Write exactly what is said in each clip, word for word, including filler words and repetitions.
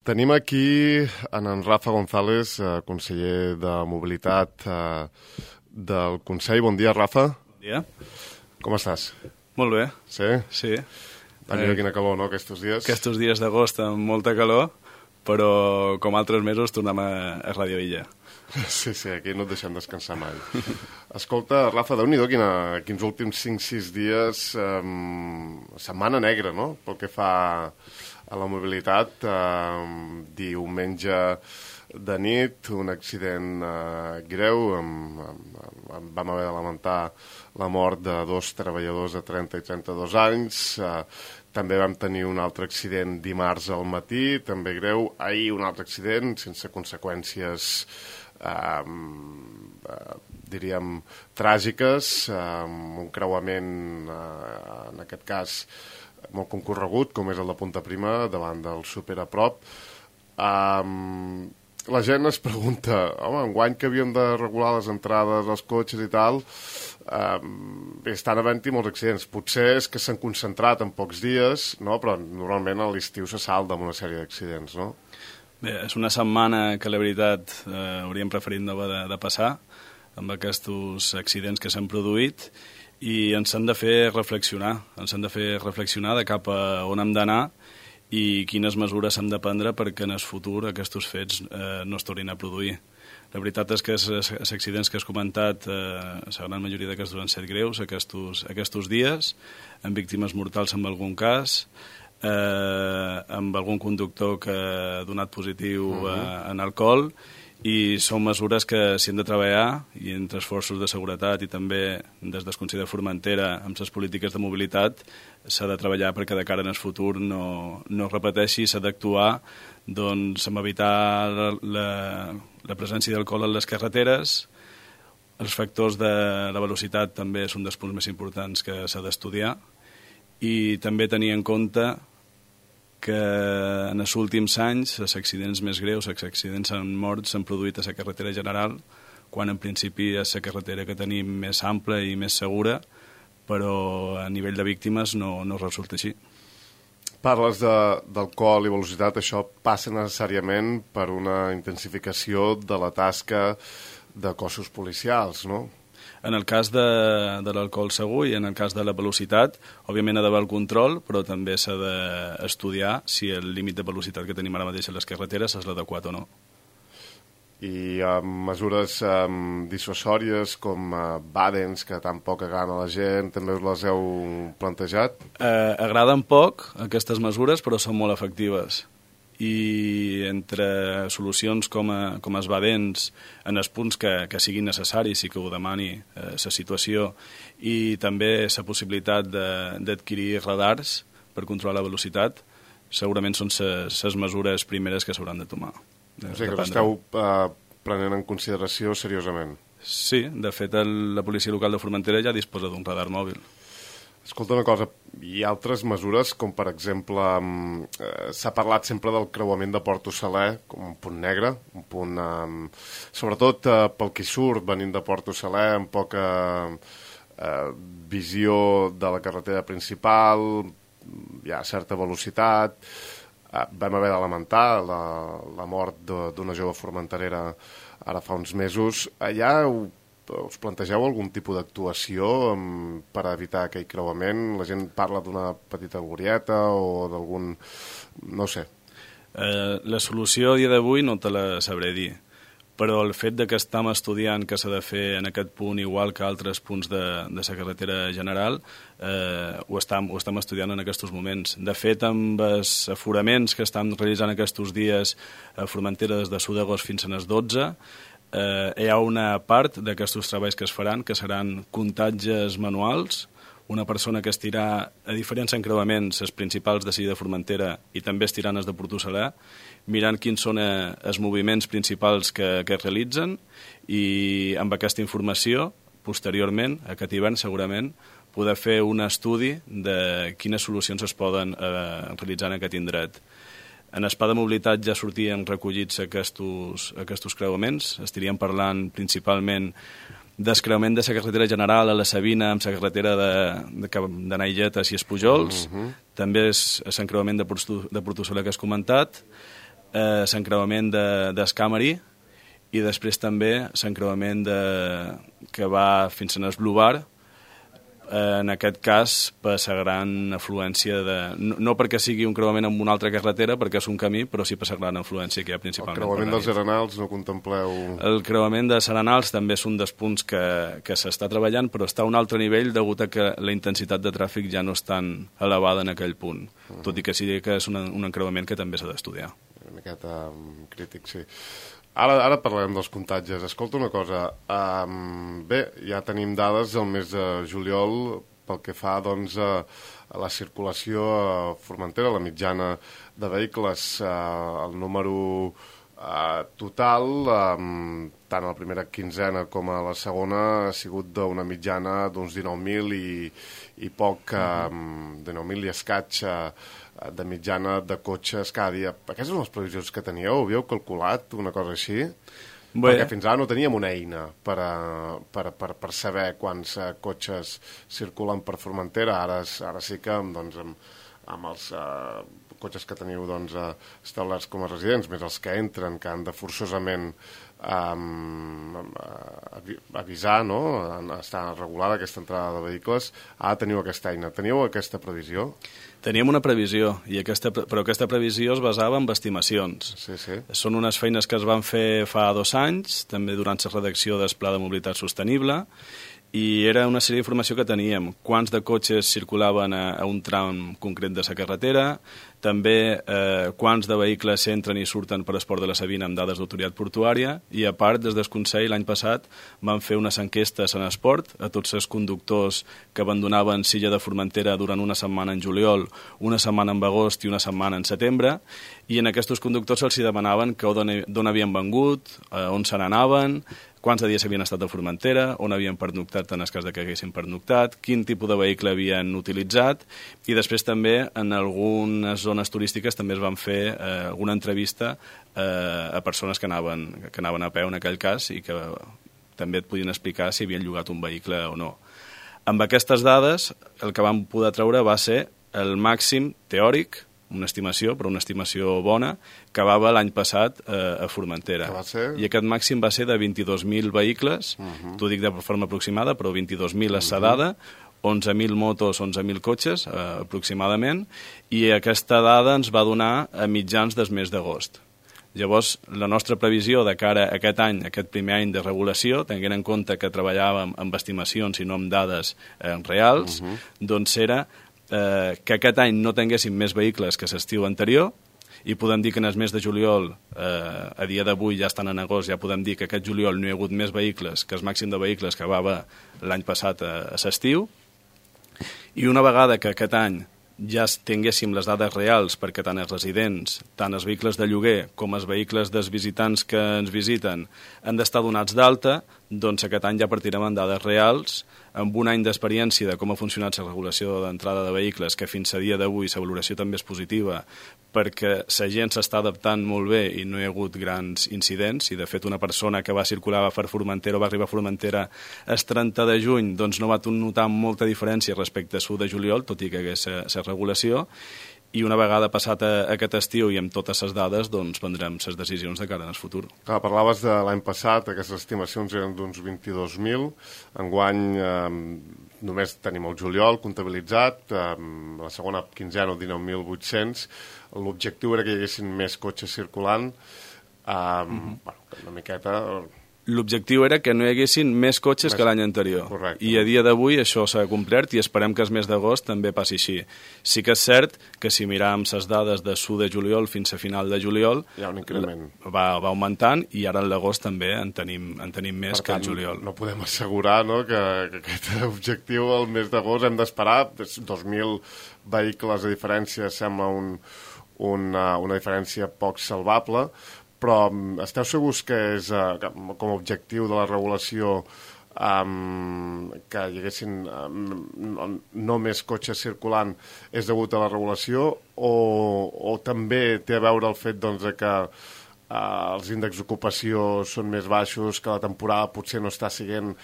Tenim aquí en, en Rafa González, eh, conseller de Mobilitat eh, del Consell. Bon dia, Rafa. Bon dia. Com estàs? Molt bé. Sí? Sí. Tenia eh, quina calor, no, aquests dies? Aquests dies d'agost amb molta calor, però com altres mesos tornem a, a Radio Illa. Sí, sí, aquí no et deixem descansar mai. Escolta, Rafa, déu-n'hi-do quina, quins últims cinc sis dies, eh, setmana negra, no?, pel que fa a la mobilitat. Eh, diumenge de nit, un accident eh, greu, amb, amb, amb, vam haver de lamentar la mort de dos treballadors de trenta i trenta-dos anys. Eh, també vam tenir un altre accident dimarts al matí, també greu. Ahir un altre accident, sense conseqüències Uh, uh, diríem tràgiques, uh, un creuament uh, en aquest cas molt concorregut com és el de Punta Prima davant del Superaprop. uh, la gent es pregunta, home, enguany que havíem de regular les entrades als cotxes i tal, uh, estan havent-hi molts accidents, potser és que s'han concentrat en pocs dies, no? Però normalment a l'estiu se salta amb una sèrie d'accidents, no? Bé, és una setmana que la veritat eh, hauríem preferit no de, de passar amb aquests accidents que s'han produït i ens han de fer reflexionar, ens han de fer reflexionar de cap a on hem d'anar i quines mesures hem de prendre perquè en el futur aquests fets eh, no es tornin a produir. La veritat és que els accidents que has comentat, eh, la gran majoria d'aquests han estat greus aquests, aquests dies, amb víctimes mortals en algun cas, Eh, amb algun conductor que ha donat positiu uh -huh. eh, en alcohol, i són mesures que s'hi han de treballar i entre esforços de seguretat i també des del Consell de Formentera amb les polítiques de mobilitat s'ha de treballar perquè de cara en el futur no, no es repeteixi, s'ha d'actuar doncs, amb evitar la, la presència d'alcohol en les carreteres. Els factors de la velocitat també són dels punts més importants que s'ha d'estudiar i també tenir en compte que en els últims anys els accidents més greus, els accidents amb morts s'han produït a la carretera general, quan en principi és la carretera que tenim més ampla i més segura, però a nivell de víctimes no, no resulta així. Parles d'alcohol i velocitat, això passa necessàriament per una intensificació de la tasca de cossos policials, no? En el cas de, de l'alcohol segur i en el cas de la velocitat, òbviament ha d'haver el control, però també s'ha d'estudiar si el límit de velocitat que tenim ara mateix a les carreteres és l'adequat o no. I uh, mesures um, dissuasòries com uh, bàdens, que tampoc agraden a la gent, també us les heu plantejat? Eh, agraden poc aquestes mesures, però són molt efectives. I entre solucions com, a, com els badents en els punts que, que siguin necessaris i que ho demani la eh, situació, i també la possibilitat d'adquirir radars per controlar la velocitat, segurament són les mesures primeres que s'hauran de tomar. O sigui que l'esteu uh, prenent en consideració seriosament? Sí, de fet el, la policia local de Formentera ja disposa d'un radar mòbil. Escolta una cosa, hi ha altres mesures, com per exemple, eh, s'ha parlat sempre del creuament de Porto Saler com un punt negre, un punt, eh, sobretot eh, pel que surt venint de Porto Saler, amb poca eh, visió de la carretera principal, hi ha certa velocitat. Eh, vam haver de lamentar la, la mort d'una jove formenterera ara fa uns mesos. Allà ho us plantegeu algun tipus d'actuació per evitar aquell creuament? La gent parla d'una petita glorieta o d'algun... no sé. Eh, la solució a dia d'avui no te la sabré dir, però el fet de que estem estudiant que s'ha de fer en aquest punt igual que altres punts de, de la carretera general, eh, ho, estem, ho estem estudiant en aquests moments. De fet, amb els aforaments que estan realitzant aquests dies a Formentera des de l'u d'agost fins a les dotze, Eh, hi ha una part d'aquests treballs que es faran que seran comptatges manuals, una persona que estirà a diferents encreuaments, els principals de Silla de Formentera i també estirant els de Porto Saler, mirant quins són eh, els moviments principals que, que es realitzen, i amb aquesta informació, posteriorment, aquest hivern segurament, poder fer un estudi de quines solucions es poden eh, realitzar en aquest indret. En el Pla de Mobilitat ja sortien recollits aquests, aquests creuaments. Estaríem parlant principalment del creuament de la carretera general a la Sabina amb la carretera de, de, de Nailletes i Espujols. Uh -huh. També és l'encreuament de, de Porto Saler que has comentat. eh, l'encreuament d'Escamari i després també l'encreuament de, que va fins a Esblubar, en aquest cas per la gran afluència de... No, no perquè sigui un creuament amb una altra carretera, perquè és un camí, però sí per la gran afluència que hi ha principalment. El creuament dels Arenals no contempleu... El creuament de Arenals també és un dels punts que, que s'està treballant, però està a un altre nivell degut a que la intensitat de tràfic ja no és tan elevada en aquell punt, uh -huh. tot i que sí que és una, un encreuament que també s'ha d'estudiar. Una miqueta um, crític, sí. Ara, ara parlarem dels contagis. Escolta una cosa, um, bé, ja tenim dades del mes de juliol pel que fa doncs, a, a la circulació a Formentera, la mitjana de vehicles, uh, el número uh, total, um, tant a la primera quinzena com a la segona, ha sigut d'una mitjana d'uns dinou mil i, i poc, um, dinou mil i escaig uh, de mitjana de cotxes cada dia. Aquestes són les previsions que teníeu? Havíeu calculat una cosa així? Bé. Perquè fins ara no teníem una eina per, a, per, per, per saber quants uh, cotxes circulen per Formentera. Ara, ara sí que doncs, amb, amb els uh, cotxes que teniu doncs, uh, establerts com a residents, més els que entren, que han de forçosament um, avisar, no? Està regulada aquesta entrada de vehicles. Ara teniu aquesta eina. Teniu aquesta previsió? Teníem una previsió, i aquesta, però aquesta previsió es basava en estimacions. Sí, sí. Són unes feines que es van fer fa dos anys, també durant la redacció del Pla de Mobilitat Sostenible, i era una sèrie d'informació que teníem. Quants de cotxes circulaven a, a un tram concret de la carretera, també eh, quants de vehicles entren i surten per Esport de la Sabina amb dades d'autoritat portuària, i a part, des del Consell, l'any passat, van fer unes enquestes en esport a tots els conductors que abandonaven Silla de Formentera durant una setmana en juliol, una setmana en agost i una setmana en setembre, i en aquests conductors se'ls demanaven que d'on havien vengut, eh, on se n'anaven, quants de dies havien estat a Formentera, on havien pernoctat en el cas de que haguessin pernoctat, quin tipus de vehicle havien utilitzat, i després també en algunes zones turístiques també es van fer eh, alguna entrevista eh, a persones que anaven, que anaven a peu en aquell cas i que també et podien explicar si havien llogat un vehicle o no. Amb aquestes dades el que vam poder treure va ser el màxim teòric, una estimació, però una estimació bona, que va l'any passat eh, a Formentera. Que va ser? I aquest màxim va ser de vint-i-dos mil vehicles, uh -huh. t'ho dic de forma aproximada, però vint-i-dos mil és la dada, onze mil motos, onze mil cotxes, eh, aproximadament, i aquesta dada ens va donar a mitjans del mes d'agost. Llavors, la nostra previsió de cara a aquest any, aquest primer any de regulació, tenint en compte que treballàvem amb estimacions i no amb dades eh, reals, uh -huh. doncs era eh, que aquest any no tinguéssim més vehicles que l'estiu anterior, i podem dir que en el mes de juliol, eh, a dia d'avui ja estan en agost, ja podem dir que aquest juliol no hi ha hagut més vehicles que el màxim de vehicles que va haver l'any passat a, a l'estiu, i una vegada que aquest any ja tinguéssim les dades reals perquè tant els residents, tant els vehicles de lloguer com els vehicles dels visitants que ens visiten han d'estar donats d'alta, doncs aquest any ja partirem amb dades reals, amb un any d'experiència de com ha funcionat la regulació d'entrada de vehicles, que fins a dia d'avui la valoració també és positiva, perquè la gent s'està adaptant molt bé i no hi ha hagut grans incidents, i de fet una persona que va circular per Formentera o va arribar a Formentera el trenta de juny, doncs no va notar molta diferència respecte a l'u de juliol, tot i que hagués la regulació, i una vegada passat a aquest estiu i amb totes les dades, doncs prendrem les decisions de cara al futur. Clar, parlaves de l'any passat, aquestes estimacions eren d'uns vint-i-dos mil, enguany eh, només tenim el juliol comptabilitzat, eh, la segona quinzena, dinou mil vuit-cents, l'objectiu era que hi haguessin més cotxes circulant, eh, mm-hmm. bueno, una miqueta... L'objectiu era que no hi haguessin més cotxes més... que l'any anterior. Correcte. I a dia d'avui això s'ha complert i esperem que el mes d'agost també passi així. Sí que és cert que si miràvem les dades de l'u de juliol fins a final de juliol hi ha un increment. Va, va augmentant, i ara en l'agost també en tenim, en tenim més per que tant, el juliol. No podem assegurar, no, que, que aquest objectiu al mes d'agost hem d'esperar. dos mil vehicles de diferència sembla un, una, una diferència poc salvable, però esteu segurs que és uh, com a objectiu de la regulació um, que hi haguessin um, no, no més cotxes circulant és degut a la regulació, o, o també té a veure el fet doncs, de que uh, els índexs d'ocupació són més baixos, que la temporada potser no està sent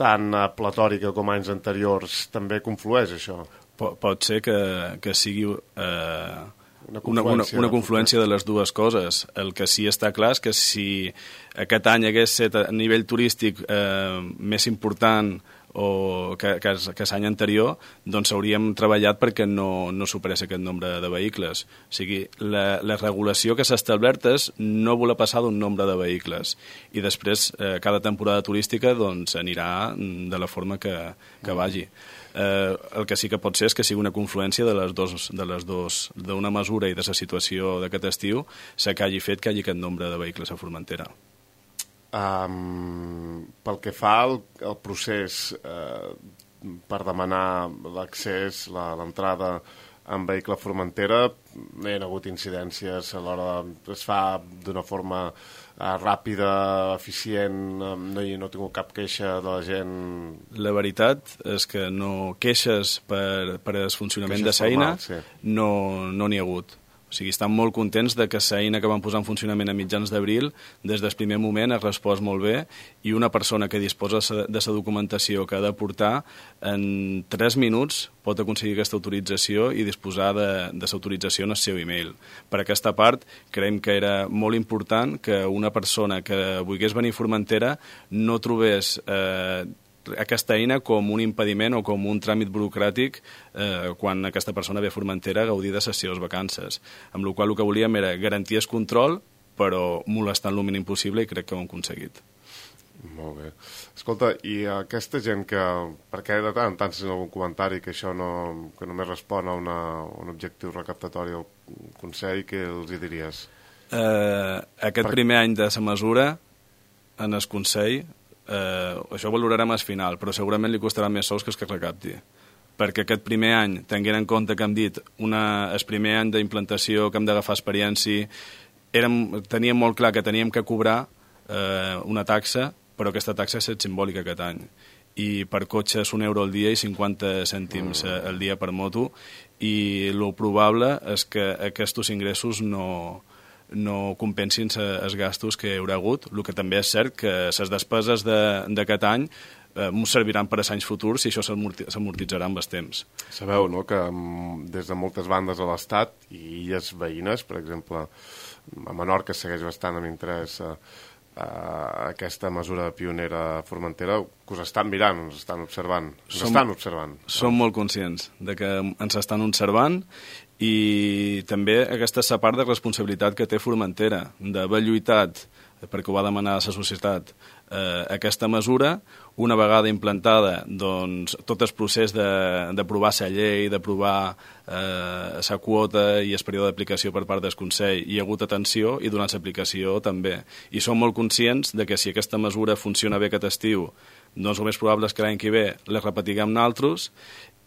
tan uh, platòrica com anys anteriors? També conflueix això? Pot, pot ser que, que sigui... Eh... Una Una, una, una confluència de les dues coses. El que sí està clar és que si aquest any hagués estat a nivell turístic eh, més important o que, que, que l'any anterior, doncs hauríem treballat perquè no, no superés aquest nombre de vehicles. O sigui, la, la regulació que s'ha establert és no voler passar d'un nombre de vehicles i després eh, cada temporada turística doncs, anirà de la forma que, que vagi. Eh, el que sí que pot ser és que sigui una confluència de les dos, de les dos, d'una mesura i de la situació d'aquest estiu, se que hagi fet que hi hagi aquest nombre de vehicles a Formentera. Um, pel que fa al, al procés eh, per demanar l'accés, la, l'entrada en vehicle a Formentera, no hi ha hagut incidències a l'hora de, es fa d'una forma eh, ràpida, eficient, no hi no he tingut cap queixa de la gent. La veritat és que no queixes per, per el funcionament Queixes de l'eina, formals, sí. no no n'hi ha hagut. O sigui, estan molt contents de que l'eina que van posar en funcionament a mitjans d'abril, des del primer moment ha respost molt bé i una persona que disposa de la documentació que ha de portar en tres minuts pot aconseguir aquesta autorització i disposar de, de l'autorització en el seu e-mail. Per aquesta part, creiem que era molt important que una persona que volgués venir a Formentera no trobés eh, aquesta eina com un impediment o com un tràmit burocràtic eh, quan aquesta persona ve a Formentera a gaudir de les seves vacances. Amb la qual cosa el que volíem era garantir el control, però molestant el mínim possible i crec que ho hem aconseguit. Molt bé. Escolta, i aquesta gent que, perquè de tant en tant sent algun comentari que això no, que només respon a, una, a un objectiu recaptatori al Consell, què els hi diries? Eh, aquest per... primer any de la mesura en el Consell, eh, això ho valorarem al final, però segurament li costarà més sous que el que recapti. Perquè aquest primer any, tenint en compte que hem dit una, el primer any d'implantació, que hem d'agafar experiència, érem, teníem molt clar que teníem que cobrar eh, una taxa, però aquesta taxa és simbòlica aquest any. I per cotxe és un euro al dia i cinquanta cèntims mm. al dia per moto, i el probable és que aquests ingressos no, no compensin els gastos que hi haurà hagut. El que també és cert que les despeses d'aquest de, any eh, ens serviran per a anys futurs i això s'amortitzarà amb el temps. Sabeu, no?, que des de moltes bandes a l'Estat i illes veïnes, per exemple, a Menorca segueix bastant amb interès eh, Uh, aquesta mesura pionera a Formentera, que us estan mirant, us estan observant. Us som, estan observant. Som molt conscients de que ens estan observant i també aquesta és la part de responsabilitat que té Formentera, d'haver lluitat, perquè ho va demanar la societat, eh, aquesta mesura, una vegada implantada, doncs, tot el procés d'aprovar la llei, d'aprovar la eh, quota i el període d'aplicació per part del Consell, hi ha hagut atenció i durant l'aplicació també. I som molt conscients de que si aquesta mesura funciona bé aquest estiu, doncs el més probable és que l'any que ve la repetiguem nosaltres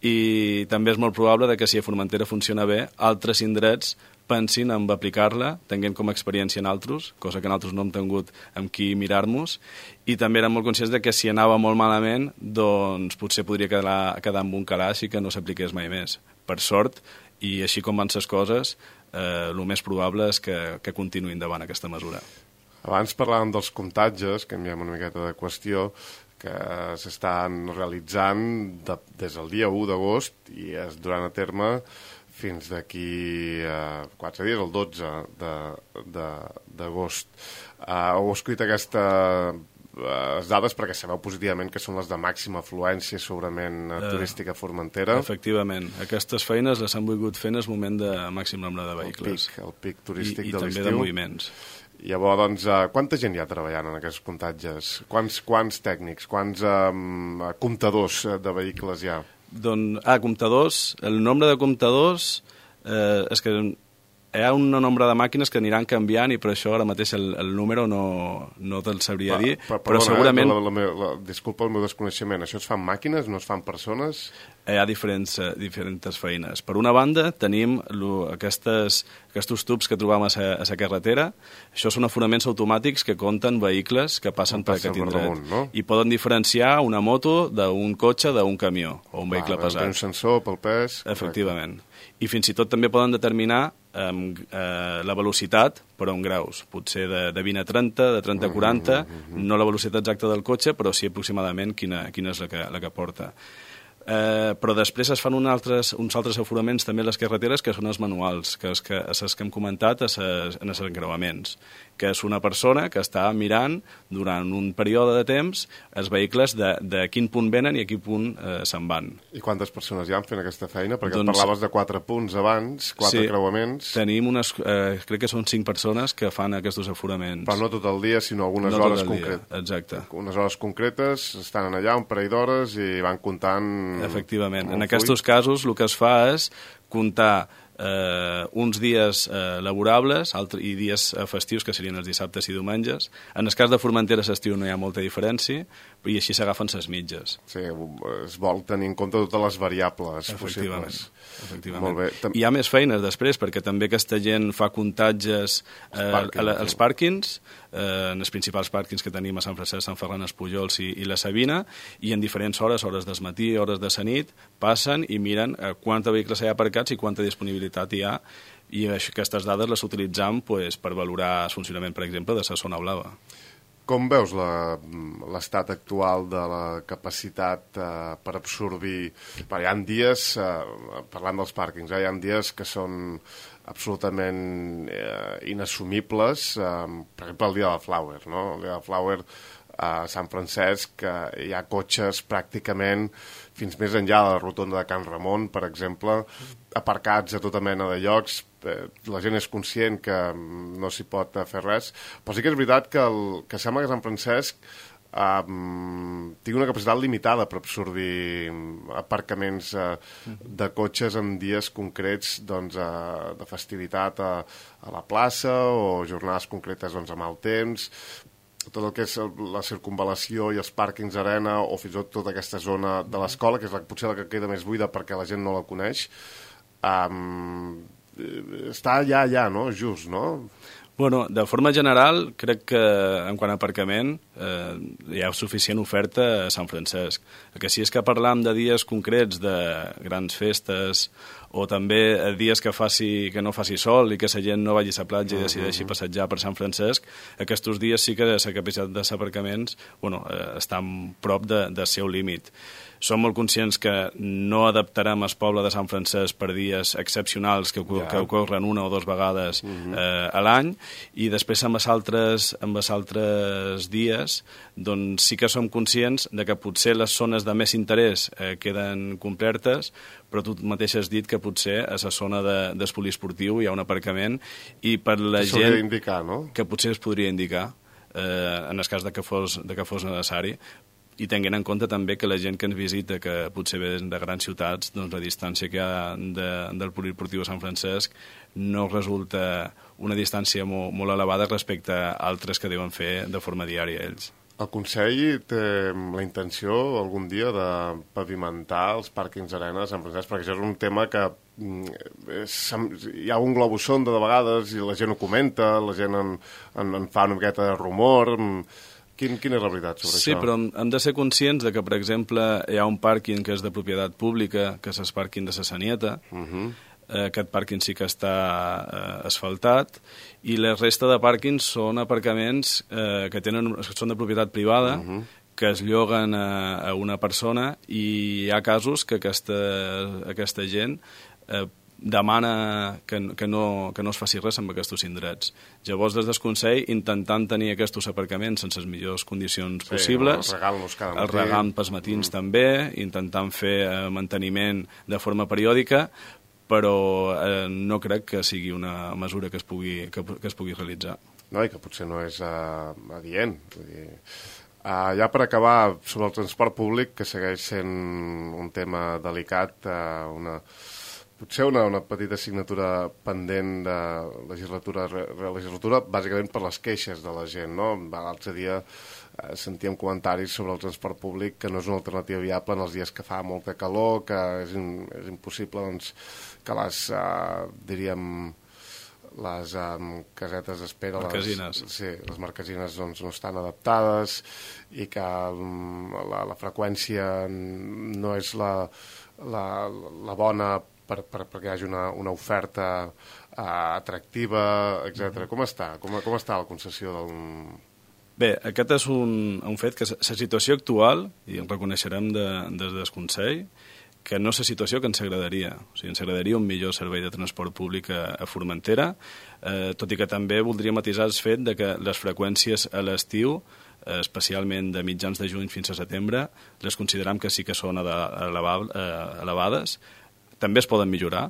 i també és molt probable de que si a Formentera funciona bé, altres indrets pensin en aplicar-la, tinguem com a experiència en altres, cosa que nosaltres no hem tingut amb qui mirar-nos, i també érem molt conscients de que si anava molt malament, doncs potser podria quedar, quedar amb un calaix i que no s'apliqués mai més. Per sort, i així com van les coses, eh, el més probable és que, que continuï endavant aquesta mesura. Abans parlàvem dels comptatges, canviem una miqueta de qüestió, que s'estan realitzant de, des del dia u d'agost i es duran a terme fins d'aquí eh, quatre dies, el dotze d'agost. Eh, heu escrit aquestes eh, dades perquè sabeu positivament que són les de màxima afluència segurament eh, turística a Formentera. Efectivament. Aquestes feines les han volgut fer en el moment de màxim nombre de vehicles. El pic, el pic turístic I, de l'estiu. I també de moviments. Llavors, doncs, eh, quanta gent hi ha treballant en aquests comptatges? Quants, quants tècnics, quants eh, comptadors de vehicles hi ha? Doncs, ah, comptadors, el nombre de comptadors eh, és que hi ha un nombre de màquines que aniran canviant i per això ara mateix el, el número no, no te'l sabria dir, però, però, però perdona, segurament... Eh, la, la, la, la, disculpa el meu desconeixement, això es fan màquines, no es fan persones? Hi ha diferents, uh, diferents feines. Per una banda, tenim lo, aquestes, aquests tubs que trobam a la carretera. Això són aforaments automàtics que compten vehicles que passen per aquest indret. Damunt, no? I poden diferenciar una moto d'un cotxe d'un camió o un vehicle ah, pesat. Un sensor pel pes. Efectivament. Correcte. I fins i tot també poden determinar um, uh, la velocitat per a un graus. Potser de, de vint a trenta, de trenta a quaranta, uh -huh, uh -huh. no la velocitat exacta del cotxe, però sí aproximadament quina, quina és la que, la que porta. Eh, però després es fan un altres, uns altres aforaments també a les carreteres que són els manuals, que és que, els que hem comentat a ses, en els encreuaments, que és una persona que està mirant durant un període de temps els vehicles de, de quin punt venen i a quin punt eh, se'n van. I quantes persones hi han fent aquesta feina? Perquè doncs, parlaves de quatre punts abans, quatre sí, creuaments. Tenim unes, eh, crec que són cinc persones que fan aquests aforaments. Però no tot el dia, sinó algunes no hores concretes. Exacte. Unes hores concretes, estan allà un parell d'hores i van comptant... Efectivament. En aquests casos el que es fa és comptar eh, uns dies eh, laborables altre, i dies eh, festius, que serien els dissabtes i diumenges. En el cas de Formentera l'estiu no hi ha molta diferència, i així s'agafen ses mitges. Sí, es vol tenir en compte totes les variables Efectivament. possibles. Efectivament. Molt bé. Tam... Hi ha més feines després, perquè també aquesta gent fa comptatges eh, pàrquings, a, als pàrquings, eh, en els principals pàrquings que tenim a Sant Francesc, Sant Ferran, Espujols i, i la Sabina, i en diferents hores, hores del matí, hores de la nit, passen i miren eh, quants vehicles hi ha aparcats i quanta disponibilitat hi ha, i aquestes dades les utilitzam pues, per valorar el funcionament, per exemple, de la zona blava. Com veus l'estat actual de la capacitat eh, per absorbir... Però hi ha dies, eh, parlant dels pàrquings, eh, hi ha dies que són absolutament eh, inassumibles, eh, per exemple el dia de la Flower, no? El dia de la Flower a Sant Francesc, que hi ha cotxes pràcticament fins més enllà de la rotonda de Can Ramon, per exemple, aparcats a tota mena de llocs. La gent és conscient que no s'hi pot fer res, però sí que és veritat que, el, que sembla que Sant Francesc um, tingui una capacitat limitada per absorbir aparcaments uh, de cotxes en dies concrets doncs, uh, de festivitat a, a la plaça o jornades concretes doncs, amb el temps. Tot el que és la circunvalació i els pàrquings arena o fins i tot tota aquesta zona de l'escola, que és la, potser la que queda més buida perquè la gent no la coneix, um, està allà, allà, no? Just, no? Bueno, de forma general, crec que en quant a aparcament eh, hi ha suficient oferta a Sant Francesc. El que sí és que parlam de dies concrets de grans festes o també dies que, faci, que no faci sol i que la gent no vagi a la platja i decideixi passejar per Sant Francesc, aquests dies sí que la capacitat dels aparcaments bueno, eh, està prop de, del seu límit. Som molt conscients que no adaptarem el poble de Sant Francesc per dies excepcionals que, ja. que ocorren una o dues vegades uh-huh. eh, a l'any, i després amb els altres, amb els altres dies doncs sí que som conscients de que potser les zones de més interès eh, queden complertes, però tu mateix has dit que potser a la zona de, del poliesportiu hi ha un aparcament i per la que gent indicar, no? que potser es podria indicar eh, en el cas de que fos, de que fos necessari, i tenint en compte també que la gent que ens visita, que potser ve de grans ciutats, doncs la distància que hi ha de, del poliesportiu a Sant Francesc no resulta una distància molt, molt elevada respecte a altres que deuen fer de forma diària ells. El Consell té la intenció algun dia de pavimentar els pàrquings arena de Sant Francesc, perquè això és un tema que és, hi ha un globus sonda de vegades i la gent ho comenta, la gent en, en, en fa una miqueta de rumor. Quin, quina és la veritat sobre sí, això? Sí, però hem de ser conscients de que, per exemple, hi ha un pàrquing que és de propietat pública, que és el pàrquing de la Sanieta. Uh-huh. eh, aquest pàrquing sí que està eh, asfaltat, i la resta de pàrquings són aparcaments eh, que tenen, són de propietat privada, uh-huh. que es lloguen a, a una persona, i hi ha casos que aquesta, aquesta gent eh, demana que, que, no, que no es faci res amb aquests indrets. Llavors, des del Consell, intentant tenir aquests aparcaments en les millors condicions sí, possibles, el regant pels matins mm. també, intentant fer eh, manteniment de forma periòdica, però eh, no crec que sigui una mesura que es pugui, que, que es pugui realitzar. No, i que potser no és uh, adient. Vull dir, uh, ja per acabar, sobre el transport públic, que segueix sent un tema delicat, uh, una... potser una, una petita assignatura pendent de legislatura a legislatura, bàsicament per les queixes de la gent, no? L'altre dia eh, sentíem comentaris sobre el transport públic que no és una alternativa viable en els dies que fa molta calor, que és, in, és impossible doncs, que les, eh, diríem, les um, casetes d'espera, marquesines. Les, sí, les marquesines doncs, no estan adaptades i que um, la, la freqüència no és la, la, la bona Per, per, perquè hi hagi una, una oferta uh, atractiva, etcètera. Com està? Com, com està la concessió del, Bé, aquest és un, un fet que la situació actual, i en reconeixerem de, des del Consell, que no és la situació que ens agradaria. O sigui, ens agradaria un millor servei de transport públic a, a Formentera, eh, tot i que també voldria matisar el fet de que les freqüències a l'estiu, eh, especialment de mitjans de juny fins a setembre, les consideram que sí que són elevades, eh, elevades, també es poden millorar,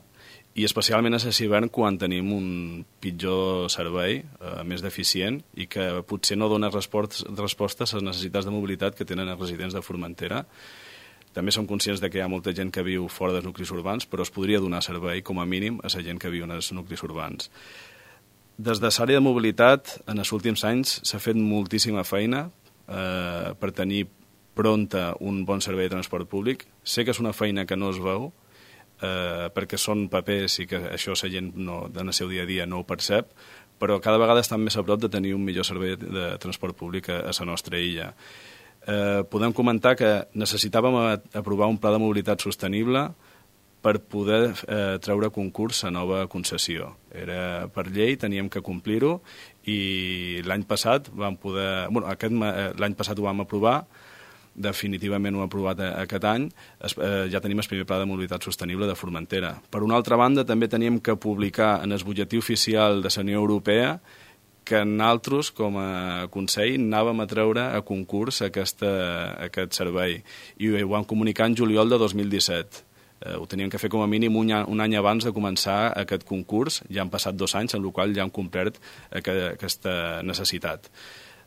i especialment a l'hivern quan tenim un pitjor servei, eh, més deficient, i que potser no dona respostes a les necessitats de mobilitat que tenen els residents de Formentera. També som conscients de que hi ha molta gent que viu fora dels nuclis urbans, però es podria donar servei, com a mínim, a la gent que viu en els nuclis urbans. Des de l'àrea de mobilitat, en els últims anys s'ha fet moltíssima feina eh, per tenir pronta un bon servei de transport públic. Sé que és una feina que no es veu, eh, perquè són papers i que això la gent no, en el seu dia a dia no ho percep, però cada vegada estan més a prop de tenir un millor servei de transport públic a, a la nostra illa. Eh, podem comentar que necessitàvem aprovar un pla de mobilitat sostenible per poder eh, treure concurs a nova concessió. Era per llei, teníem que complir-ho, i l'any passat vam poder... Bueno, aquest, l'any passat ho vam aprovar, definitivament ho hem aprovat aquest any, es, eh, ja tenim el primer pla de mobilitat sostenible de Formentera. Per una altra banda, també teníem que publicar en el butlletí oficial de la Unió Europea que nosaltres, com a Consell, anàvem a treure a concurs aquesta, aquest servei. I ho vam comunicar en juliol de dos mil disset. Eh, ho teníem que fer com a mínim un, un any abans de començar aquest concurs. Ja han passat dos anys, en el qual ja hem complert aquest, aquesta necessitat.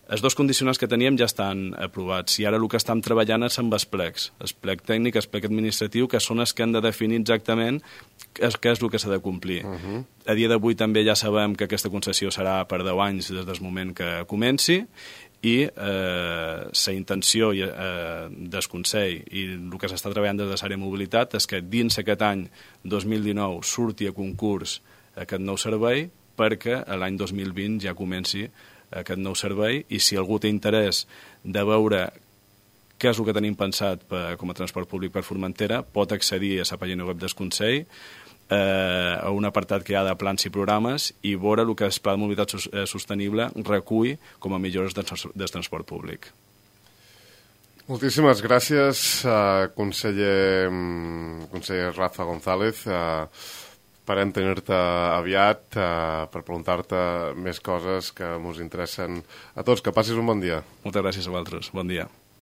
Els dos condicionants que teníem ja estan aprovats, i ara el que estem treballant és amb els plecs, el plec tècnic, el plec administratiu, que són els que han de definir exactament què és, què és el que s'ha de complir. Uh-huh. A dia d'avui també ja sabem que aquesta concessió serà per deu anys des del moment que comenci, i eh, la intenció eh, del Consell i el que s'està treballant des de l'àrea de mobilitat és que dins aquest any dos mil dinou surti a concurs aquest nou servei, perquè l'any dos mil vint ja comenci aquest nou servei, i si algú té interès de veure què és el que tenim pensat per, com a transport públic per Formentera, pot accedir a la pàgina web del Consell, eh, a un apartat que hi ha de plans i programes, i veure el que el Pla de Mobilitat Sostenible recull com a millores del, del transport públic. Moltíssimes gràcies, uh, conseller, conseller Rafa González. Uh, Esperem tenir-te aviat uh, per preguntar-te més coses que ens interessen a tots. Que passis un bon dia. Moltes gràcies a vosaltres. Bon dia.